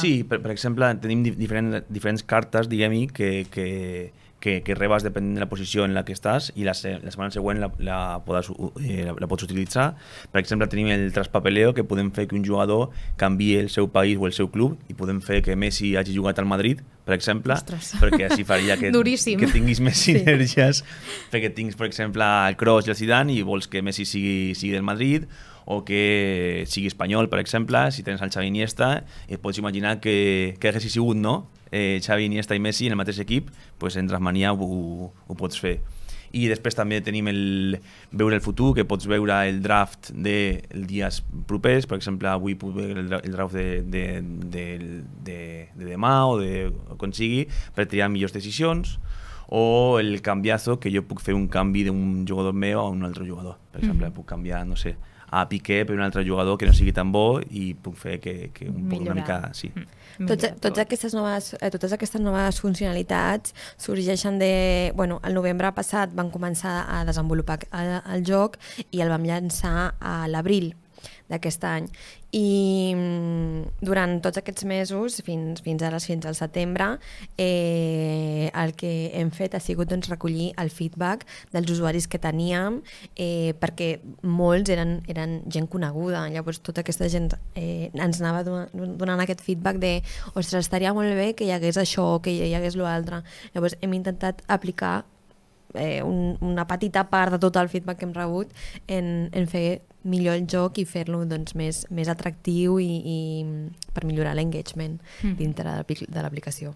Sí, per exemple, tenim diferents cartes, diguem-hi, que rebes depenent de la posició en la que estàs i la setmana següent la pots utilitzar. Per exemple, tenim el traspapeleo, que podem fer que un jugador canviï el seu país o el seu club i podem fer que Messi hagi jugat al Madrid, per exemple, perquè així faria que tinguis més sinergies, perquè tinguis, per exemple, el Kroos i el Zidane i vols que Messi sigui del Madrid, o que sigui espanyol, per exemple, si tens el Xavi Iniesta, pots imaginar que haguessi sigut, no? Xavi, Iniesta i Messi en el mateix equip, doncs en Trackmania ho pots fer. I després també tenim el veure el futur, que pots veure el draft dels dies propers. Per exemple, avui puc veure el draft de demà o de quan sigui, per triar millors decisions, o el canviazo, que jo puc fer un canvi d'un jugador meu a un altre jugador. Per exemple, puc canviar, no sé, a Piqué per un altre jugador que no sigui tan bo i puc fer que una mica... Sí. Totes aquestes noves funcionalitats sorgeixen de... Bueno, el novembre passat van començar a desenvolupar el joc i el vam llançar a l'abril d'aquest any. I durant tots aquests mesos, fins al setembre, el que hem fet ha sigut recollir el feedback dels usuaris que teníem, perquè molts eren gent coneguda. Llavors tota aquesta gent ens anava donant aquest feedback de ostres, estaria molt bé que hi hagués això, que hi hagués l'altre. Llavors hem intentat aplicar una petita part de tot el feedback que hem rebut en fer millor el joc i fer-lo més atractiu i per millorar l'engagement dintre de l'aplicació.